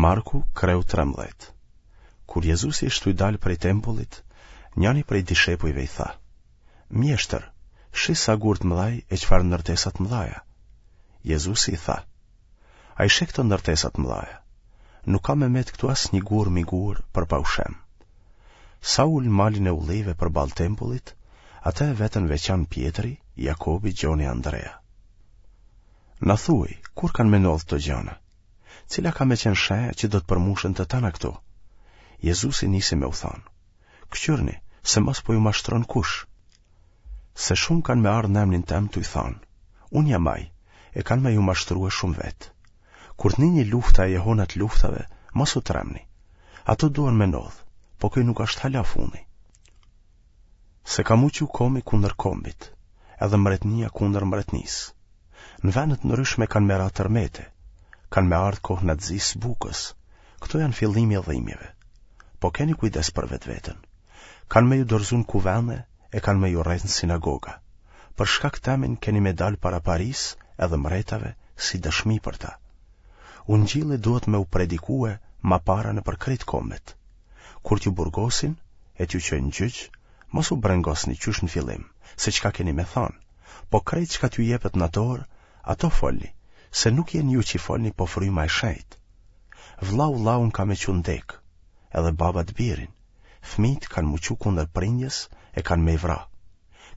Marku, kreu 13. Kur Jezusi ish tuj dalë prej tempullit, njani prej dishepujve i tha: Mjeshtër, shih sa gurë të mëdhaj e çfarë ndërtesa të mëdhaja. Jezusi i tha: A i sheh këto ndërtesa të mëdhaja? Nuk ka me met këtu asnjë gur mi gur për pa u shem. Sa u ul në malin e ullive përballë tempullit, atë e vetën veçan Pjetri, Jakobi, Gjoni e Andrea. Na thuaj, kur kanë me ndodhë këto gjana? Cila ka me qenë shenja që do të përmushen të tana këto? Jezusi nisi me u thanë, Këqyrni, se mos po ju mashtron kush. Se shumë kanë me ardhë në emnin tem tuj thanë, unë jam ai, e kanë me ju mashtrue shumë vetë. Kur të nini lufta e jehona të luftave, mos u tremni. Ato duhen me ndodhë, po ky nuk është hala funi. Se ka m'u çu komi kundër kombit, edhe mbretnia kundër mbretnisë. Në vende të ndryshme kanë me ra tërmete, kanë me ardhë kohna të zisë bukës, këto janë fillimi i dhimbjeve. Po keni kujdes për vetveten. Kanë me ju dorëzu në kuvende e kanë me ju rreh në sinagoga. Për shkak temin keni me dalë para parisë edhe mretave si dëshmi për ta. Ungjilli duhet me u predikue ma para nëpër krejt kombet. Kur t'ju burgosin e t'ju çojnë në gjyq, mos u brengosni qysh në fillim, se çka keni me thanë, po krejt çka t'ju jepet në atë orë, ato folni, se nuk jeni ju që folni, po fryma e shenjtë. Vllau vllaun ka me çu në dekë, edhe baba të birin, fmijtë kanë m'u çu kundër prindjes e kanë me i vra.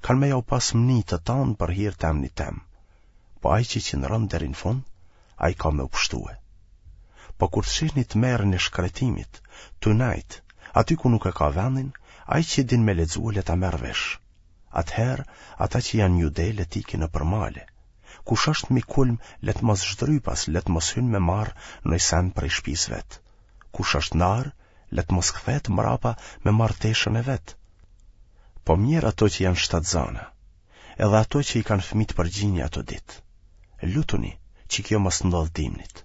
Kanë me jau pas mni të tanë për hir të emnit tem. Po ai që qëndron deri në fund, ai ka me u pshtue. Po kur të shihni tmerrin e shkretimit, tu nejt, aty ku nuk e ka vendin, ai që din me lexue le ta merr vesh. Atëherë, ata që janë në Jude le të ikin nëpër male. Kush është mi kulm, le të mos zhdrypas, le të mos hyn me marrë noj sen prej shpisë vet. Kush është n'arë, le të mos kthehet mrapa me marrë teshën e vet. Po mjerë ato që janë shtatzana, edhe ato që i kanë fëmijët për gjini ato ditë. Lutuni që kjo mos ndodhë dimnit.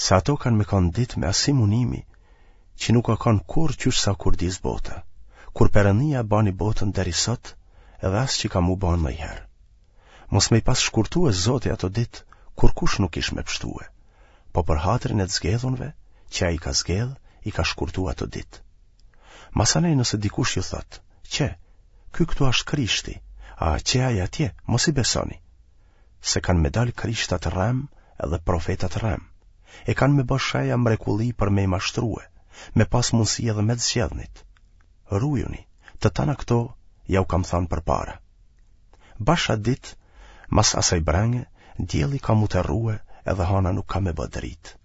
Se ato kanë me kanë ditë me asi munimi që nuk ka kanë kurrë qysh sa kurdis bota, kur Perëndia bani botën deri sot edhe as që ka m'u ba ndonjëherë. Mos me i pas shkurtue Zoti ato ditë, kurkush nuk ish me pshtue, po për hatrin e të zgedhunve, që ai ka zgedh, i ka shkurtu ato ditë. Masanej nëse dikush ju thotë, qe, ky këtu është Krishti, a qe ai atje, mos i besoni, se kanë me dalë Krishta të rremë edhe profeta të rremë, e kanë me bë sheja mrekulli për me i mashtrue, me pas mundësi edhe me të zgjedhnit. Rujuni, të tana këto jau kam thanë përpara. Bash atë ditë, mas asaj brenge, dielli ka m'u terrue edhe hana nuk ka me bë dritë.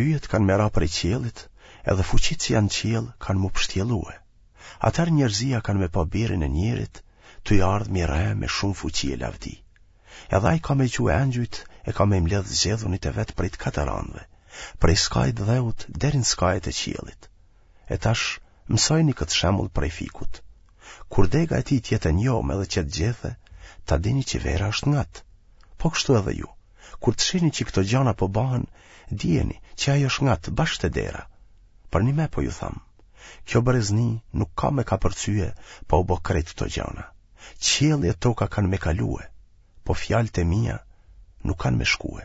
Yjet kanë me ra prej qiellit, edhe fuqitë që janë në qiell kanë m'u pshtjellue. Atëherë njerëzia kanë me pa birin e njerit, tuj ardhë mi re me shumë fuqi e lavdi. Edhe ai ka me çue engjujt e ka me i mbledhë zgjedhunit e vet prej të katër anëve, prej skajit dheut deri në skajet e qiellit. E tash, mësojeni këtë shembull prej fikut. Kur dega e tij të jetë e njomë edhe qet gjethe, ta dini që vera është ngat. Po kështu edhe ju, kur të shihni që këto gjana po bahen, dijeni që ai është ngat bash te dera. Përnime po ju tham, kjo brezni nuk ka me kapërcye pa u bo krejt këto gjana. Qielli e toka kanë me kalue, po fjalët e mia nuk kanë me shkue.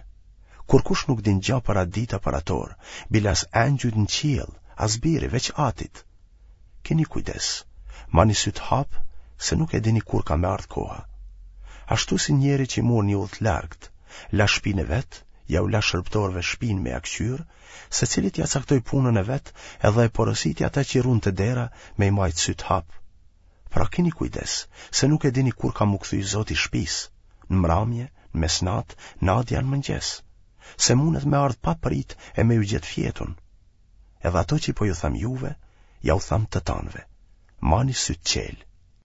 Kurkush nuk din gja për atë ditë a për atë orë, bile as engjujt në qiell, as biri, veç atit. Keni kujdes, mani sytë hapë, se nuk e dini kur ka me ardhë koha. Ashtu si njeri që mur një udhë të largët, la shpinë e vet, jau la shërbëtorëve shpinë me ia këqyrë, secilit ia caktoi punën e vet edhe e porositi ata që run te dera me i majtë sytë hapë. Pra keni kujdes, se nuk e dini kur ka m'u kthy zoti i shpisë, në mramje, në mesnatë, nadja a në mëngjes, se mundet me ardhë pa prit e me ju gjetë fjetun. Edhe ato që po ju them juve, jau them të tanëve. Mani sytë çelë.